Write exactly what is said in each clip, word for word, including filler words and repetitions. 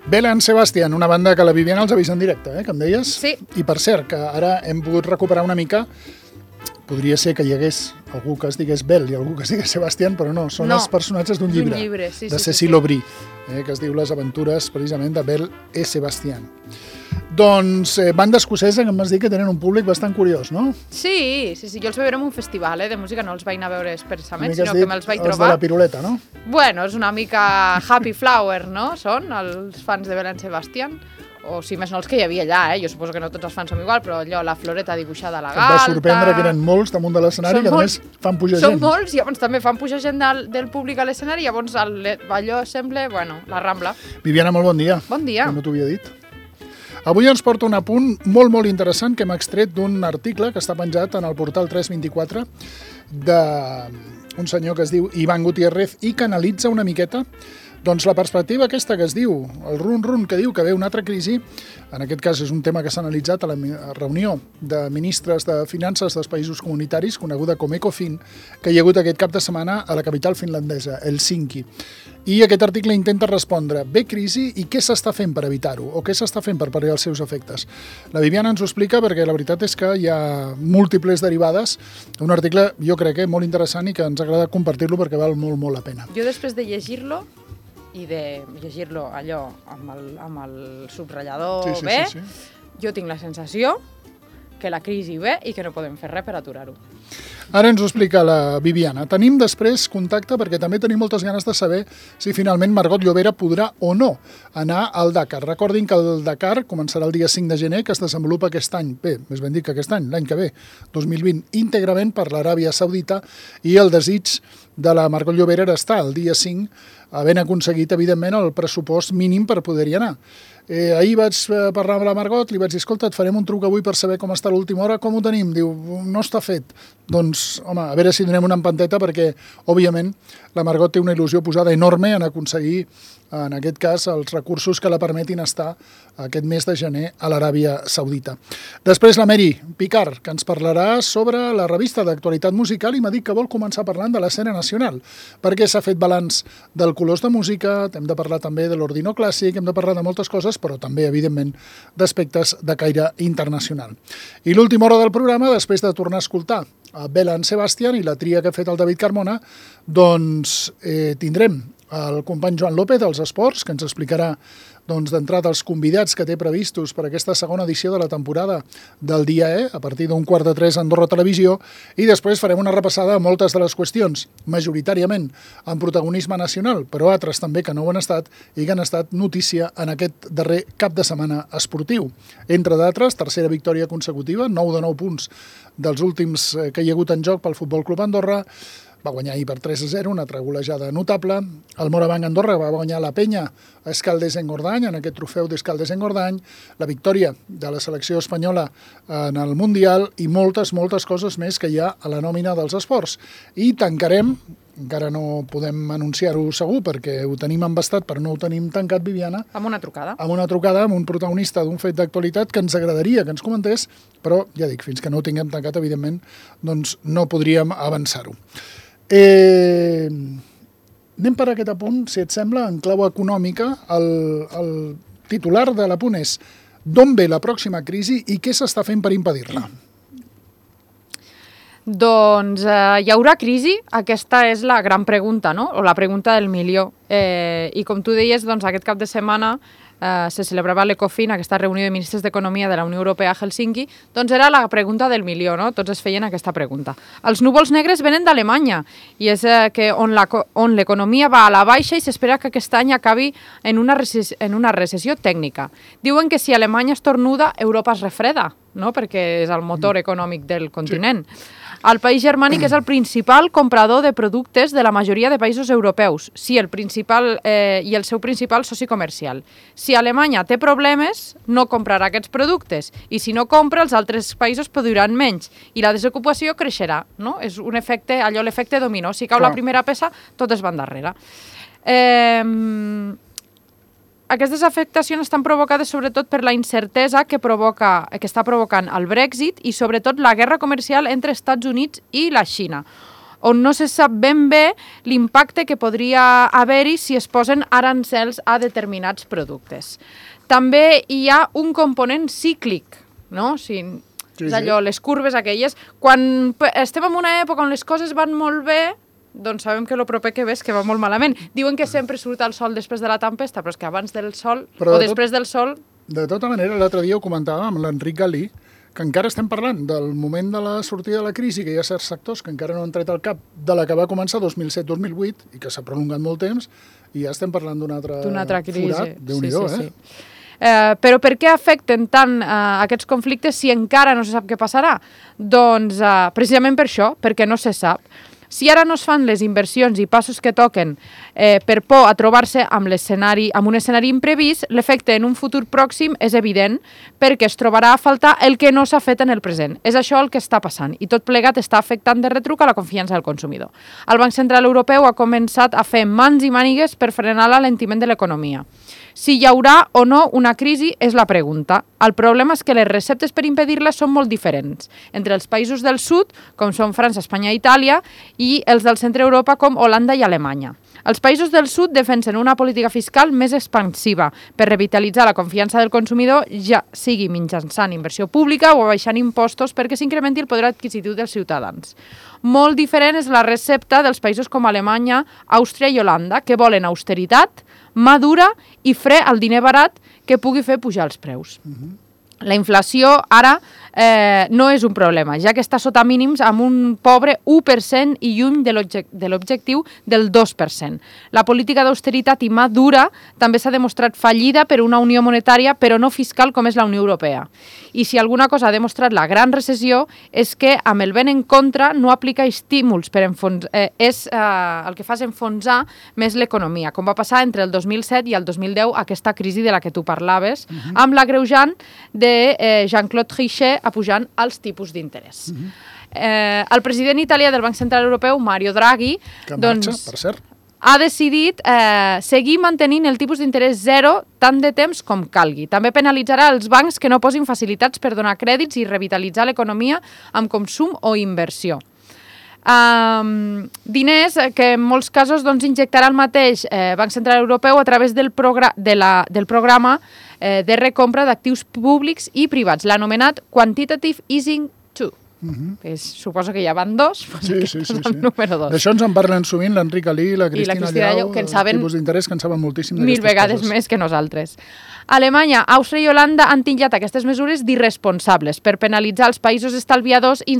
Belle Sebastian, una banda que la Viviana els ha vist en directe, eh, que em deies? Sí. I per cert, que ara hem pogut recuperar una mica, podria ser que hi hagués algú que es digués Belle i algú que es digués Sebastian, però no, són no, els personatges d'un llibre, llibre sí, de sí, Cécile sí, Aubry, eh, que es diu Les aventures, precisament, de Belle et Sebastian. Doncs eh, banda escocesa, que em vas dir que tenen un públic bastant curiós, no? Sí, sí, sí, jo els vaig veure en un festival eh, de música, no els vaig anar a veure expressament, sinó dit, que me'ls vaig els trobar. de la piruleta, no? Bueno, és una mica Happy Flower, no? Són els fans de Belle Sebastian. O si més no els que hi havia allà, eh? Jo suposo que no tots els fans som igual, però allò, la floreta dibuixada a la galta... Em va sorprendre que eren molts damunt de l'escenari, que a més fan pujar són gent. Són molts, i llavors també fan pujar gent del, del públic a l'escenari, i llavors el, allò sembla, bueno, la Rambla. Viviana, molt bon dia. Bon dia. Que no t'ho havia dit. Avui ens porta un apunt molt, molt interessant que hem extret d'un article que està penjat en el portal tres vint-i-quatre d'un senyor que es diu Iván Gutiérrez i que analitza una miqueta doncs la perspectiva aquesta que es diu, el run-run que diu que ve una altra crisi, en aquest cas és un tema que s'ha analitzat a la reunió de ministres de finances dels països comunitaris, coneguda com Ecofin, que hi ha hagut aquest cap de setmana a la capital finlandesa, Helsinki. I aquest article intenta respondre, ve crisi i què s'està fent per evitar-ho, o què s'està fent per pal·liar els seus efectes. La Viviana ens ho explica perquè la veritat és que hi ha múltiples derivades, un article jo crec que molt interessant i que ens agrada compartir-lo perquè val molt, molt la pena. Jo després de llegir-lo, i de llegir-lo allò amb el, amb el subratllador sí, sí, bé, sí, sí. jo tinc la sensació que la crisi ve i que no podem fer res per aturar-ho. Ara ens ho explica la Viviana. Tenim després contacte perquè també tenim moltes ganes de saber si finalment Margot Llobera podrà o no anar al Dakar. Recordin que el Dakar començarà el dia cinc de gener, que es desenvolupa aquest any, bé, més ben dit que aquest any, l'any que ve, dos mil vint, íntegrament per l'Aràbia Saudita, i el desig de la Margot Llobera era estar el dia cinc, havent aconseguit, evidentment, el pressupost mínim per poder-hi anar. Eh, ahir vaig parlar amb la Margot, li vaig dir, escolta, et farem un truc avui per saber com està l'última hora, com ho tenim? Diu, no està fet. Doncs, home, a veure si donem una empanteta perquè, òbviament, la Margot té una il·lusió posada enorme en aconseguir, en aquest cas, els recursos que la permetin estar aquest mes de gener a l'Aràbia Saudita. Després la Mary Picard, que ens parlarà sobre la revista d'actualitat musical i m'ha dit que vol començar parlant de l'escena nacional, perquè s'ha fet balanç del Colors de Música, hem de parlar també de l'Ordino Clàssic, hem de parlar de moltes coses, però també, evidentment, d'aspectes de caire internacional. I l'última hora del programa, després de tornar a escoltar a Belle Sebastian i la tria que ha fet el David Carmona, doncs eh, tindrem el company Joan López dels Esports, que ens explicarà doncs, d'entrada els convidats que té previstos per aquesta segona edició de la temporada del Dia E, a partir d'un quart de tres a Andorra Televisió, i després farem una repassada a moltes de les qüestions, majoritàriament amb protagonisme nacional, però altres també que no ho han estat i que han estat notícia en aquest darrer cap de setmana esportiu. Entre d'altres, tercera victòria consecutiva, nou de nou punts dels últims que hi ha hagut en joc pel Futbol Club Andorra, va guanyar ahir per tres a zero, una altra golejada notable. El Morabanc Andorra va guanyar la Penya a Escaldes-Engordany, en aquest trofeu d'Escaldes-Engordany, la victòria de la selecció espanyola en el Mundial i moltes, moltes coses més que hi ha a la nòmina dels esports. I tancarem, encara no podem anunciar-ho segur perquè ho tenim embastat però no ho tenim tancat, Viviana. Amb una trucada. Amb una trucada, amb un protagonista d'un fet d'actualitat que ens agradaria que ens comentés, però ja dic, fins que no ho tinguem tancat, evidentment, doncs no podríem avançar-ho. Eh, anem per aquest apunt, si et sembla, en clau econòmica. El, el titular de l'apunt és d'on ve la pròxima crisi i què s'està fent per impedir-la? Doncs eh, hi haurà crisi? Aquesta és la gran pregunta, no? O la pregunta del milió. Eh, I com tu deies, doncs, aquest cap de setmana eh, se celebrava l'Ecofin, aquesta reunió de ministres d'Economia de la Unió Europea a Helsinki, doncs era la pregunta del milió, no? Tots es feien aquesta pregunta. Els núvols negres venen d'Alemanya i és eh, que on l'economia va a la baixa i s'espera que aquest any acabi en una, recessió, en una recessió tècnica. Diuen que si Alemanya estornuda, Europa es refreda, no? Perquè és el motor econòmic del continent. Sí. El país germànic és el principal comprador de productes de la majoria de països europeus, sí, el principal eh, i el seu principal soci comercial. Si Alemanya té problemes, no comprarà aquests productes, i si no compra, els altres països produiran menys, i la desocupació creixerà, no? És un efecte, allò l'efecte dominó. Si cau Clar. La primera peça, totes van darrere. Eh... Aquestes afectacions estan provocades sobretot per la incertesa que, provoca, que està provocant el Brexit i sobretot la guerra comercial entre Estats Units i la Xina. on no se sap ben bé l'impacte que podria haver-hi si es posen arancels a determinats productes. També hi ha un component cíclic, no? O sigui, és allò, les curves aquelles. Quan estem en una època on les coses van molt bé, doncs sabem que el proper que ve és que va molt malament. Diuen que sempre surt el sol després de la tempesta, però és que abans del sol, o després del sol... De tota manera, l'altre dia ho comentàvem amb l'Enric Galí, que encara estem parlant del moment de la sortida de la crisi, que hi ha certs sectors que encara no han tret al cap de la que va començar dos mil set dos mil vuit i que s'ha prolongat molt temps, i ja estem parlant d'un altre, altre crisi. Forat. Déu-n'hi-do, sí, sí, eh? Sí. Eh, però per què afecten tant eh, aquests conflictes si encara no se sap què passarà? Doncs eh, precisament per això, perquè no se sap. Si ara no es fan les inversions i passos que toquen eh, per por a trobar-se amb, amb un escenari imprevist, l'efecte en un futur pròxim és evident perquè es trobarà a faltar el que no s'ha fet en el present. És això el que està passant i tot plegat està afectant de retruc a la confiança del consumidor. El Banc Central Europeu ha començat a fer mans i mànigues per frenar l'alentiment de l'economia. Si hi haurà o no una crisi és la pregunta. El problema és que les receptes per impedir-la són molt diferents entre els països del sud, com són França, Espanya i Itàlia, i els del centre d'Europa, com Holanda i Alemanya. Els països del sud defensen una política fiscal més expansiva per revitalitzar la confiança del consumidor, ja sigui mitjançant inversió pública o abaixant impostos perquè s'incrementi el poder adquisitiu dels ciutadans. Molt diferent és la recepta dels països com Alemanya, Àustria i Holanda, que volen austeritat, mà dura i fre al diner barat que pugui fer pujar els preus. Uh-huh. La inflació ara eh, no és un problema, ja que està sota mínims amb un pobre u per cent i lluny de l'objectiu del dos per cent. La política d'austeritat i mà dura també s'ha demostrat fallida per una unió monetària però no fiscal com és la Unió Europea. I si alguna cosa ha demostrat la gran recessió és que amb el vent en contra no aplica estímuls per enfonsar, eh, és eh, el que fa és enfonsar més l'economia, com va passar entre el dos mil set i el dos mil deu, aquesta crisi de la que tu parlaves, uh-huh. amb l'agreujant de eh, Jean-Claude Trichet apujant els tipus d'interès. Uh-huh. eh, el president italià del Banc Central Europeu, Mario Draghi, que doncs, marxa, per cert. ha decidit eh, seguir mantenint el tipus d'interès zero tant de temps com calgui. També penalitzarà els bancs que no posin facilitats per donar crèdits i revitalitzar l'economia amb consum o inversió. Um, diners que en molts casos doncs, injectarà el mateix eh, Banc Central Europeu a través del, progr de la, del programa eh, de recompra d'actius públics i privats, l'anomenat Quantitative Easing dos. Uh-huh. Que és, suposo que ja van dos, doncs sí, sí, sí, sí. número dos. D'això ens en parlen sovint l'Enric Alí i la Cristina, I la Cristina Llau, que en saben tipus d'interès que en saben moltíssim mil vegades coses. Més que nosaltres. Alemanya, Àustria i Holanda han titllat aquestes mesures d'irresponsables per penalitzar els països estalviadors i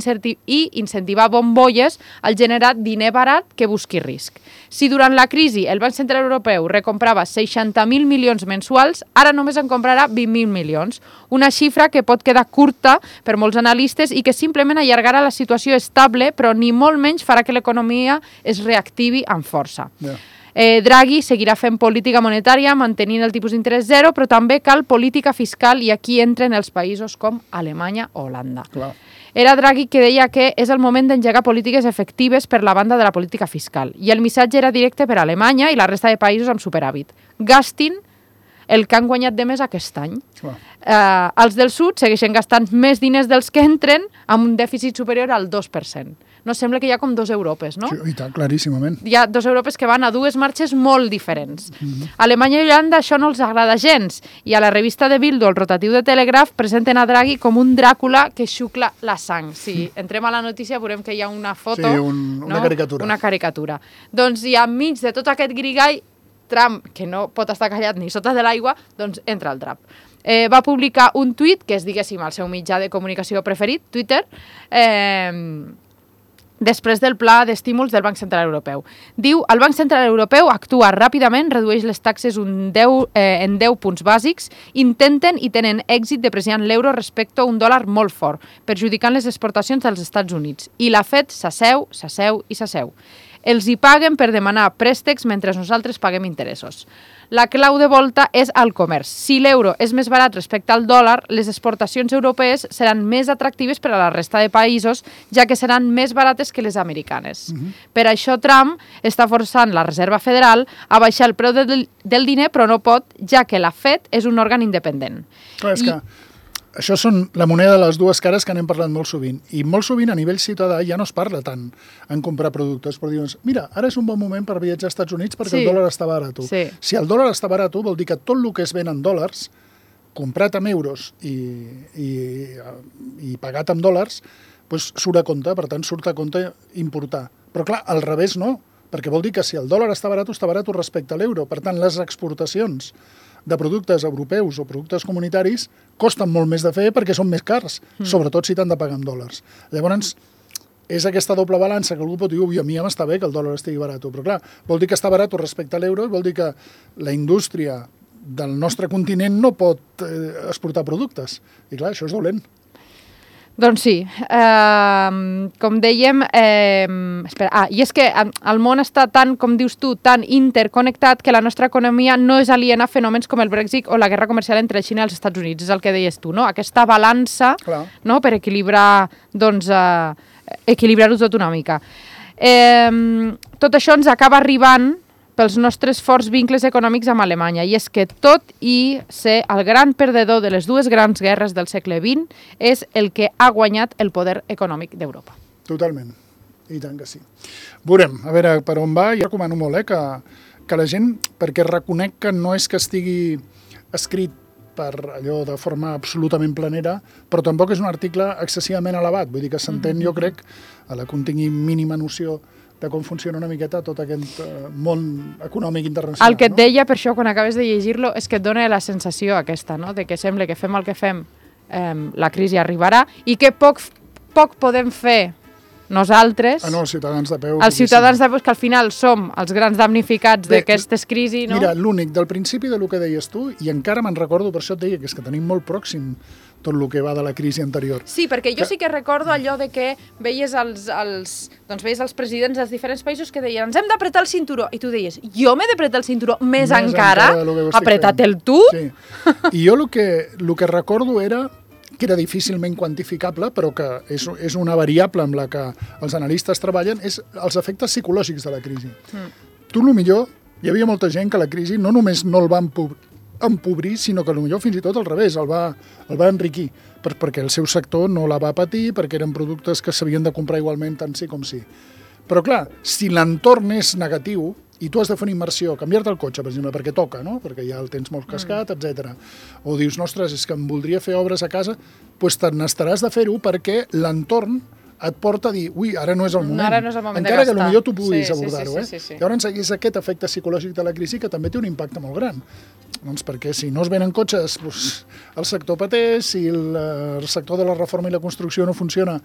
incentivar bombolles al generar diner barat que busqui risc. Si durant la crisi el Banc Central Europeu recomprava seixanta mil milions mensuals, ara només en comprarà vint mil milions, una xifra que pot quedar curta per molts analistes i que simplement allargarà la situació estable, però ni molt menys farà que l'economia es reactivi amb força. Yeah. Eh, Draghi seguirà fent política monetària mantenint el tipus d'interès zero, però també cal política fiscal i aquí entren els països com Alemanya o Holanda. Clar. Era Draghi que deia que és el moment d'engegar polítiques efectives per la banda de la política fiscal i el missatge era directe per a Alemanya i la resta de països amb superàvit. Gastin el que han guanyat de més aquest any. Eh, els del sud segueixen gastant més diners dels que entren amb un dèficit superior al dos per cent. No sembla que hi ha com dos Europes, no? Sí, i tant, claríssimament. Hi ha dos Europes que van a dues marxes molt diferents. Mm-hmm. Alemanya i Holanda això no els agrada gens i a la revista de Bildu, el rotatiu de Telegraph, presenten a Draghi com un Dràcula que xucla la sang. Si entrem a la notícia veurem que hi ha una foto... Sí, un, una no? caricatura. Una caricatura. Doncs i enmig de tot aquest grigall, Trump, que no pot estar callat ni sota de l'aigua, doncs entra al drap. Eh, va publicar un tuit, que és, diguéssim, el seu mitjà de comunicació preferit, Twitter, eh, després del pla d'estímuls del Banc Central Europeu. Diu, el Banc Central Europeu actua ràpidament, redueix les taxes un deu, eh, en deu punts bàsics, intenten i tenen èxit depreciant l'euro respecte a un dòlar molt fort, perjudicant les exportacions dels Estats Units. I la Fed s'asseu, s'asseu i s'asseu. Els hi paguen per demanar préstecs mentre nosaltres paguem interessos. La clau de volta és el comerç. Si l'euro és més barat respecte al dòlar, les exportacions europees seran més atractives per a la resta de països, ja que seran més barates que les americanes. Uh-huh. Per això Trump està forçant la Reserva Federal a baixar el preu del, del diner, però no pot, ja que la Fed és un òrgan independent. Clar, és I... que això són la moneda de les dues cares que n'hem parlat molt sovint. I molt sovint a nivell ciutadà ja no es parla tant en comprar productes, però diuen, mira, ara és un bon moment per viatjar als Estats Units perquè Sí. el dòlar està barat. Sí. Si el dòlar està barat, vol dir que tot el que es ven en dòlars, comprat amb euros i, i, i pagat amb dòlars, doncs surt a compte, per tant surt a compte importar. Però clar, al revés no, perquè vol dir que si el dòlar està barat, està barat respecte a l'euro. Per tant, les exportacions de productes europeus o productes comunitaris costen molt més de fer perquè són més cars, mm. sobretot si t'han de pagar en dòlars. Llavors, és aquesta doble balança que algú pot dir, ui, a mi ja m'està bé que el dòlar estigui barat, però clar, vol dir que està barat respecte a l'euro i vol dir que la indústria del nostre continent no pot eh, exportar productes. I clar, això és dolent. Doncs sí, eh, com dèiem, eh, espera, ah, i és que el món està tan, com dius tu, tan interconnectat que la nostra economia no és aliena a fenòmens com el Brexit o la guerra comercial entre Xina i els Estats Units, és el que deies tu, no? Aquesta balança, no?, per equilibrar, doncs, eh, equilibrar-ho tot una mica. Eh, tot això ens acaba arribant pels nostres forts vincles econòmics amb Alemanya. I és que tot i ser el gran perdedor de les dues grans guerres del segle vint és el que ha guanyat el poder econòmic d'Europa. Totalment. I tant que sí. Veurem, a veure per on va. Jo recomano molt eh, que, que la gent, perquè reconec que no és que estigui escrit per allò de forma absolutament planera, però tampoc és un article excessivament elevat. Vull dir que s'entén, jo crec, a la que un tingui mínima noció de com funciona una miqueta tot aquest uh, món econòmic internacional. El que et no? deia, per això, quan acabes de llegir-lo, és que et dona la sensació aquesta, no?, de que sembla que fem el que fem, eh, la crisi arribarà, i que poc, poc podem fer nosaltres, ah, no, els ciutadans de peu, els ciutadans de peu, que al final som els grans damnificats d'aquestes crisis, no? Mira, l'únic, del principi de lo que deies tu, i encara me'n recordo, per això et deia, que és que tenim molt pròxim tot el que va de la crisi anterior. Sí, perquè jo que... sí que recordo allò de que veies els, els, doncs veies els presidents dels diferents països que deien ens hem d'apretar el cinturó, i tu deies jo m'he d'apretar el cinturó més, més encara, encara apreta't-el tu? Sí. I jo el que, el que recordo era que era difícilment quantificable, però que és, és una variable amb la que els analistes treballen, és els efectes psicològics de la crisi. Mm. Tu, el millor, hi havia molta gent que la crisi no només no el va empobrir, sinó que potser fins i tot al revés, el va, el va enriquir, per, perquè el seu sector no la va patir, perquè eren productes que s'havien de comprar igualment tant sí com sí. Però clar, si l'entorn és negatiu i tu has de fer una immersió, canviar-te el cotxe, per exemple, perquè toca, no? Perquè ja el tens molt cascat, mm. etcètera. O dius, ostres, és que em voldria fer obres a casa, doncs te n'estaràs de fer-ho perquè l'entorn et porta a dir, ui, ara no és el moment. Ara no és el moment encara de gastar. que potser tu puguis sí, abordar-ho. sí, Eh? sí, sí, sí. Llavors és aquest efecte psicològic de la crisi que també té un impacte molt gran. Doncs perquè si no es venen cotxes, doncs el sector pateix, si el, el sector de la reforma i la construcció no funciona,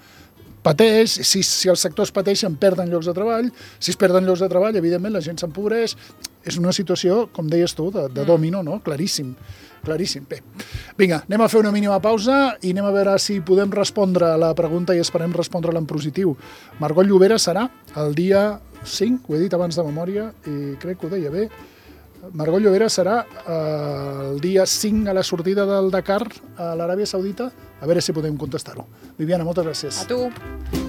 pateix, si, si els sectors pateixen, perden llocs de treball, si es perden llocs de treball, evidentment la gent s'empobreix. És una situació, com deies tu, de, de domino, no? Claríssim. Claríssim. Bé, vinga, anem a fer una mínima pausa i anem a veure si podem respondre a la pregunta i esperem respondre-la en positiu. Margot Llobera serà el dia cinc, ho he dit abans de memòria i crec que ho deia bé. Margot Llobera serà eh, el dia cinc a la sortida del Dakar a l'Aràbia Saudita. A veure si podem contestar-ho. Viviana, moltes gràcies. A tu.